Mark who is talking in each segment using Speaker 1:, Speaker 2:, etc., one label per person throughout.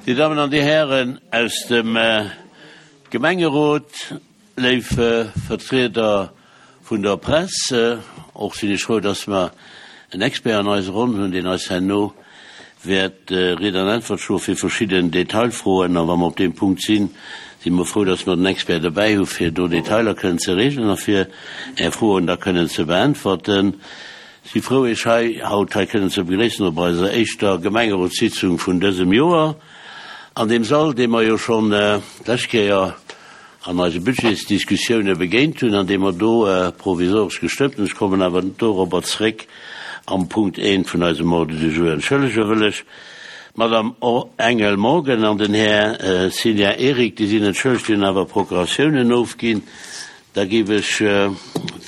Speaker 1: Dir Dammen an Dir Hären aus dem Gemengerot, léif Vertrieder vun der Press, och sinn ech frou, dass mer en Expert an eiser Ronn hunn, deen eis herno wäert Ried an Äntwert stoe fir verschidden Detailfroen. A wa mer op deem Punkt sinn, si mer frou, dass mer den Expert dobäi hu fir do Detailer kënnen ze regelen a fir Är Froen da kënnen ze beäntwerten. Si frou, Iech hei haut hei kënnen ze begréissen op eiser éischter Gemengerotssitzung vun dësem Joer an deem Sall, dee mer jo schonn d'lescht Kéier an eise Budgetsdiskussioune begéint hunn an dee mer do provisoresch gestëmmt hunn. Ech kommen awer dorobber zréck am Punkt eent vun eisem Ordre du jour. Entschëllege wëll ech d'Madame Engel Morgen an den Här Cigna Eric, déi sinn entschëllegt, déi hunn awer Procuratiounen ofginn. Da géif ech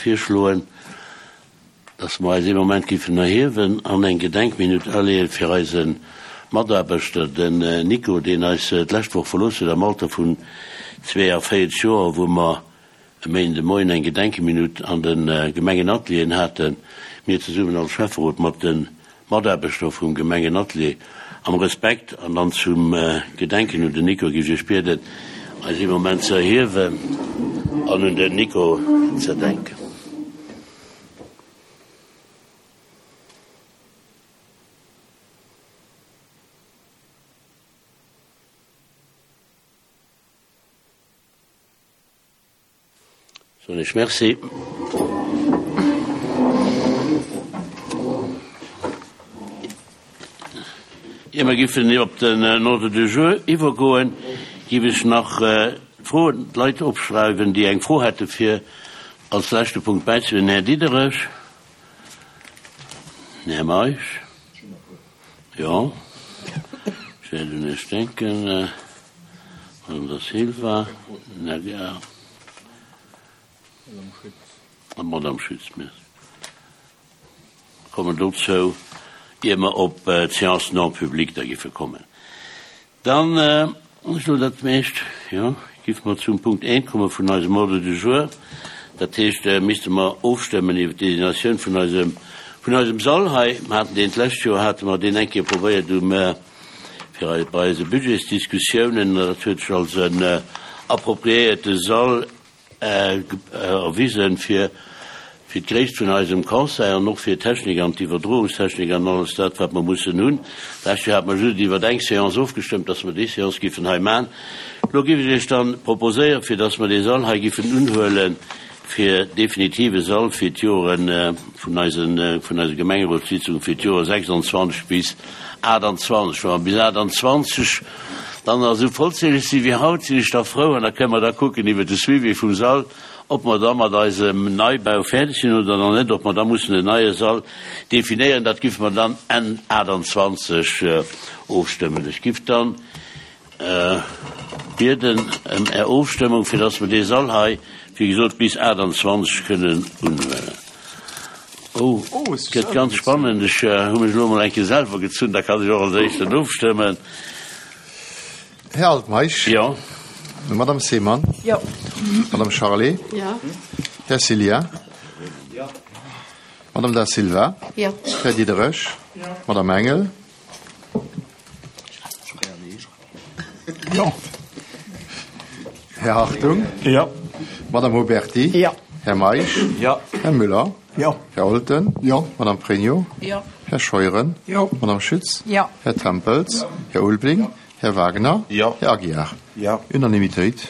Speaker 1: virschloen, dass mer eis ee Moment giffen erhiewen an eng Gedenkminutt aleeën fir eise Mataarbechter, den Nico, deen eis d'lescht Woch verlooss huet am Alter vun 42 Joer, wou mer e Méinden de Moien eng Gedenkeminutt an de Gemengenatelieren haten, mir zesummen als Schäfferot mat de Mataarbechter vum Gemengenatelier, am Respekt an dann zum Gedenken un den Nico géif ech Iech bieden, eis ee Moment ze erhiewen an un den Nico ze denken. Soen ech Merci. Ier mer giffen op den Ordre du jour iwwergoen, giff ech nach d'Froen, d'Leit opschreiwen, déi eng Fro hätte fir als leschte Punkt bäizedroen. Den Här Diderich, den Här Meisch, jo, ech wäert un Iech denken. Madame Da Silva, Här an d'Madame Schütz. Mir kommen dozou, ier mer op d'Séance non publique da giffe kommen. Dann, ech elo dat meescht, jo, giffe mer zum Punkt eent komme vun eisem Ordre du jour. Dat heescht, misste mer ofstëmmen iwwert d'Designatioun vun eisem, vun eisem Sall hei. Mer haten deen d'lescht Joer, hate mer deen eng Kéier probéiert um, fir bei eise Budgetsdiskussiounen, an dat huet sech als en appropriéierte Sall erwisen, fir fir d'Gréisst vun eisem Conseil an och fir d'Technik an d'Iwwerdroungstechnik an alles dat, wat mer mussen hunn. D'lescht Joer hate mer just iwwert eng Séance ofgestëmmt, dass mer déi Séance giffen hei maachen. Elo géif ech Iech dann proposéieren, fir dass mer dee Sall hei giffen unhuelen, fir definitive Sall fir d'Jore vun eisen, vun eise Gemengerotssitzungen fir d'Jore 26 bis 28. Wa mer bis 28 dann nach esou vollzähleg si wéi haut, sinn ech da frou an da kënnen mer da kucken iwwert de Suivi vum Sall, ob mer da mat eisem Neibau fäerdeg sinn oder nach net, ob mer da mussen en neie Sall definéieren. Dat giffe mer dann Enn 28 ofstëmmen. Ech giff dann Bieden ëm Är Ofstëmmung, fir dass mer dee Sall hei, wéi gesot, bis 28 kënnen unhuelen. Oh, et gëtt ganz spannend. Ech hu mech elo emol eng Kéier selwer gezunn, da kann ech och als Éischten ofstëmmen.
Speaker 2: Här Altmeisch?
Speaker 1: Jo.
Speaker 2: Madame Seemann?
Speaker 3: Jo.
Speaker 2: Madame Charlé?
Speaker 3: Jo.
Speaker 2: Här Cillien?
Speaker 4: Jo.
Speaker 2: Madame Da Silva?
Speaker 3: Jo.
Speaker 2: Här Diderich?
Speaker 4: Jo.
Speaker 2: Madame Engel?
Speaker 4: Jo.
Speaker 2: Här Hartung?
Speaker 4: Jo.
Speaker 2: Madame Huberty?
Speaker 4: Jo.
Speaker 2: Här Meisch?
Speaker 4: Jo.
Speaker 2: Här Müller?
Speaker 4: Jo.
Speaker 2: Här Olten?
Speaker 4: Jo.
Speaker 2: Madame Pregno?
Speaker 3: Jo.
Speaker 2: Här Scheuren?
Speaker 4: Jo.
Speaker 2: Madame Schütz?
Speaker 3: Jo.
Speaker 2: Här Tempels?
Speaker 4: Jo.
Speaker 2: Här Ulbling?
Speaker 4: Jo.
Speaker 2: Här Wagner?
Speaker 4: Jo.
Speaker 2: Här Aguiar?
Speaker 4: Jo.
Speaker 2: Unanimitéit.